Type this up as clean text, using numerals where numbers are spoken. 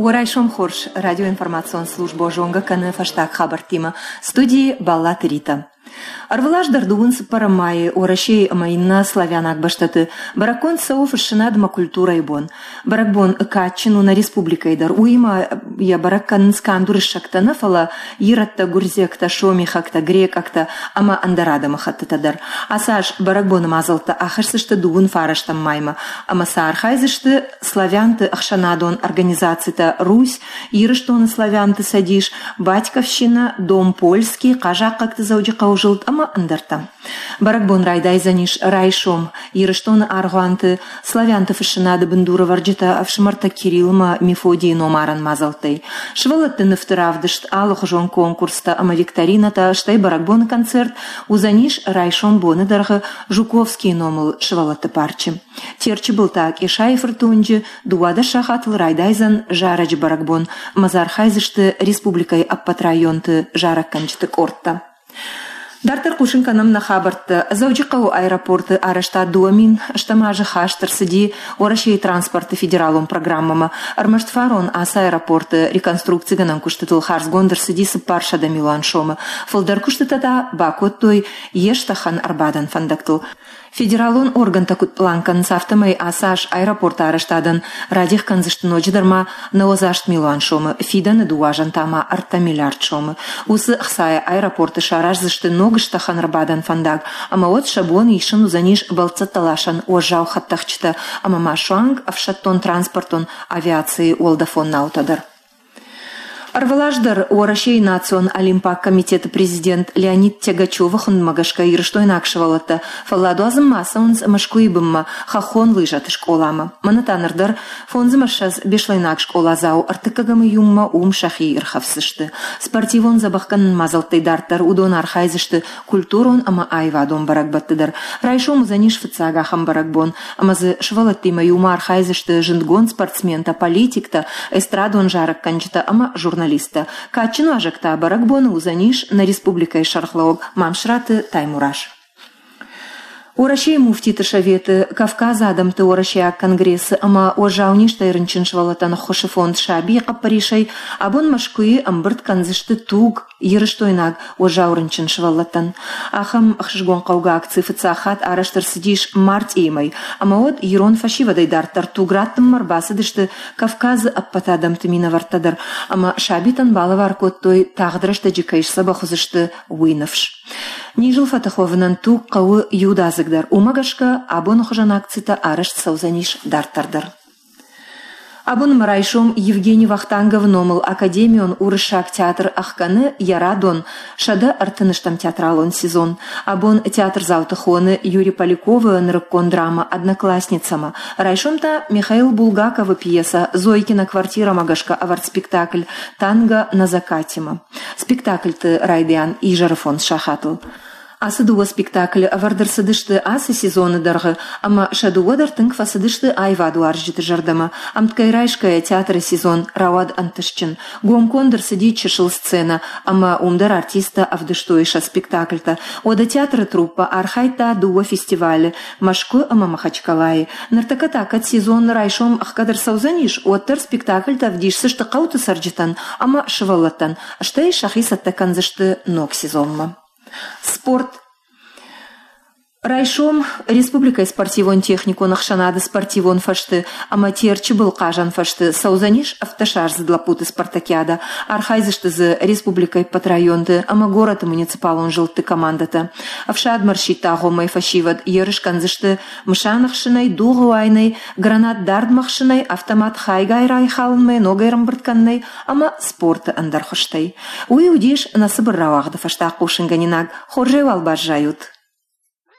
Уӕ райсом хорз! Радиоинформацион службӕ зонгӕ кӕны фӕстаг хабӕрттимӕ. Студийы Баллаты Рита. Ӕрвылаз дӕр дыууын цыппӕрӕм майы Уӕрӕсейы ӕмӕ иннӕ славянаг бӕстӕты бӕрӕггонд цӕуы фыссынад ӕмӕ культурӕйы бон. Бӕрӕгбон кадджын у нӕ республикӕйы дӕр. Уыимӕ йӕ бӕрӕг кӕнынц канд уырыссӕгтӕ нӕ, фӕлӕ ирӕттӕ, гуырдзиӕгтӕ, сомихӕгтӕ, грекъӕгтӕ ӕмӕ ӕндӕр адӕмыхӕттытӕ дӕр. Ацы аз бӕрӕгбоны мадзӕлттӕ ахӕсдзысты дыууын фарӕстӕм маймӕ ӕмӕ сӕ архайдзысты славянты ӕхсӕнадон организацитӕ Русь, Ирыстоны славянты цӕдис, Батьковщина, Дом Польский, Хъазахъхъӕгты Дзӕуджыхъӕуы зылд ӕмӕ ӕндӕртӕ. Бӕрӕгбон райдайдзӕнис райсом Ирыстоны аргъуанты славянты фыссынады бындурӕвӕрджытӕ ӕфсымӕртӕ Кириллмӕ Мефодийы номарӕн мадзӕлттӕй. Сывӕллӕтты нывты равдыст, алыхуызон конкурстӕ ӕмӕ викторинӕтӕ, стӕй бӕрӕгбоны концерт уыдзӕнис райсом боны дӕргъы Жуковскийы номыл сывӕллӕтты парчы. Терчы был та Къесайы фырты уынджы 12 сахатыл райдайдзӕн зарӕджы бӕрӕгбон ӕмӕ дзы архайдзысты республикӕйы ӕппӕт районты зарӕггӕнджыты къордтӕ. Дарддӕр хъусын кӕнӕм нӕ хабӕрттӕ. Дзӕуджыхъӕуы аэропорты арӕзтад 2008 азы хаст ӕрцыди Уӕрӕсейы транспорты федералон программӕмӕ. Ӕрмӕст фарон ацы аэропорты реконструкцигӕнӕн куыстытыл хардзгонд ӕрцыди 400 милуан сомы. Фылдӕр куыстытӕ та бакодтой йе стӕхӕн ӕрбадӕн фӕндӕгтыл. Федералон органтӕ куыд пълан кӕнынц, афтӕмӕй ацы аз аэропорты арӕзтадӕн радих кӕндзысты ноджыдӕр ма 98 милуан сомы, фидӕны дыууӕ азӕн та ма 3 миллиард сомы. Уыцы ӕхцайӕ аэропорты сараздзысты ног стӕхӕн ӕрбадӕн фӕндаг, ӕмӕ уӕд сӕ бон исын уыдзӕнис бӕлццӕттӕласӕн уӕззау хӕдтӕхджытӕ ӕмӕ ма суанг ӕфсӕддон-транспортон авиацийы уӕлдӕфон наутӕ дӕр. Ӕрвылаз дӕр Уӕрӕсейы национ олимпаг комитеты президент Леонид Тягачевы хуындмӕ гӕсгӕ ирыстойнаг сывӕллӕттӕ фӕлладуадзынмӕ ацӕуынц Мӕскуыйы бынмӕ хӕххон лыжӕты скъоламӕ. Мӕнӕ та ныр дӕр фондзмӕ ссӕдз беслӕйнаг скъоладзау ӕртыккӕгӕм июммӕ уым сӕхи ирхӕфсдзысты. Спортивон дзӕбӕхгӕнӕн мадзӕлттӕй дарддӕр уыдон архайдзысты культурон ӕмӕ аивадон бӕрӕгбӕтты дӕр. Райсом уыдзӕнис фыццаг ахӕм бӕрӕгбон, ӕмӕ дзы сывӕллӕттимӕ иумӕ архайдзысты зындгонд спортсментӕ, политиктӕ, эстрадон зарӕггӕнджытӕ ӕмӕ журналисттӕ. Кадджын уазӕг та бӕрӕгбоны уыдзӕнис нӕ республикӕйы сӕргълӕууӕг Мамсыраты Таймураз. Уӕрӕсейы муфтиты советы, Кавказы адӕмты уӕрӕсейаг конгрессы ӕмӕ уӕззау низтӕй рынчын сывӕллӕттӕн ӕххуысы фонд Сабийы хъӕппӕрисӕй абон Мӕскуыйы ӕмбырд кӕндзысты туг ирыстойнаг уӕззау рынчын сывӕллӕттӕн. Ахӕм ӕхсызгон хъӕугӕ акци фыццаг хатт арӕзт ӕрцыдис мартъийы мӕй, ӕмӕ уӕд ирон фӕсивӕдӕй дарддӕр туг раттынмӕ ӕрбацыдысты Кавказы ӕппӕт адӕмты минӕвӕрттӕ дӕр ӕмӕ сабитӕн балӕвар кодтой, тагъд рӕстӕджы кӕй сдзӕбӕх уыдзысты, уый ныфс. Низыл фӕтых уӕвынӕн туг хъӕуы иудадзыгдӕр, уымӕ гӕсгӕ абоны хуызӕн акцитӕ арӕзт цӕудзӕнис дарддӕр дӕр. Абон ӕмӕ райсом Евгений Вахтанговы номыл академион уырыссаг театр ӕхгӕны йӕ радон 130 театралон сезон. Абон театрдзауты хоны Юрий Поляковы нырыккон драмӕ «Одноклассница-мӕ». Райсом та Михаил Булгаковы пьесӕ «Зойкина квартира-мӕ» гӕсгӕ ӕвӕрд спектакль «Танго на закате-мӕ». Спектакльты райдиан изӕры фондз сахатыл. Ацы дыууӕ спектаклы ӕвӕрд ӕрцыдысты ацы сезоны дӕргъы ӕмӕ сӕ дыууӕ дӕр тынг фӕцыдысты аивадуарзджыты зӕрдӕмӕ. Ӕмткӕй райсгӕйӕ театры сезон рауад ӕнтыстджын. Гомконд ӕрцыди чысыл сценӕ ӕмӕ уым дӕр артисттӕ ӕвдыстой сӕ спектакльтӕ. Уӕдӕ театры труппӕ архайдта дыууӕ фестивалы Мӕскуы ӕмӕ Махачкалайы. Ныртӕккӕ та кӕд сезон райсом ӕхгӕд ӕрцӕудзӕнис, уӕддӕр спектакльтӕ ӕвдисдзысты хъӕуты цӕрджытӕн ӕмӕ сывӕллӕттӕн, стӕй сӕхи цӕттӕ кӕндзысты ног сезонмӕ. Спорт. Райсом республикӕйы спортивон-техникон ӕхсӕнады спортивон фӕзты ӕмӕ Терчы был хъазӕн фӕзты цӕудзӕнис ӕвддӕсаздзыд лӕппуты спартакиадӕ. Архайдзысты дзы республикӕйы ӕппӕт районты ӕмӕ горӕты муниципалон зылдты командӕтӕ. Ӕфсадмӕ ӕрсидт агъоммӕ фӕсивӕд ерыс кӕндзысты мысан ӕхсынӕй, дугъы уайынӕй, гранат дардмӕ хсынӕй, автомат хайгай райхалынмӕ, ногӕй ӕрӕмбырд кӕнынӕй ӕмӕ спорты ӕндӕр хуызтӕй. Уый уыдис нӕ цыбыр рауагъды фӕстаг хъусынгӕнинаг. Хорзӕй уал баззайут!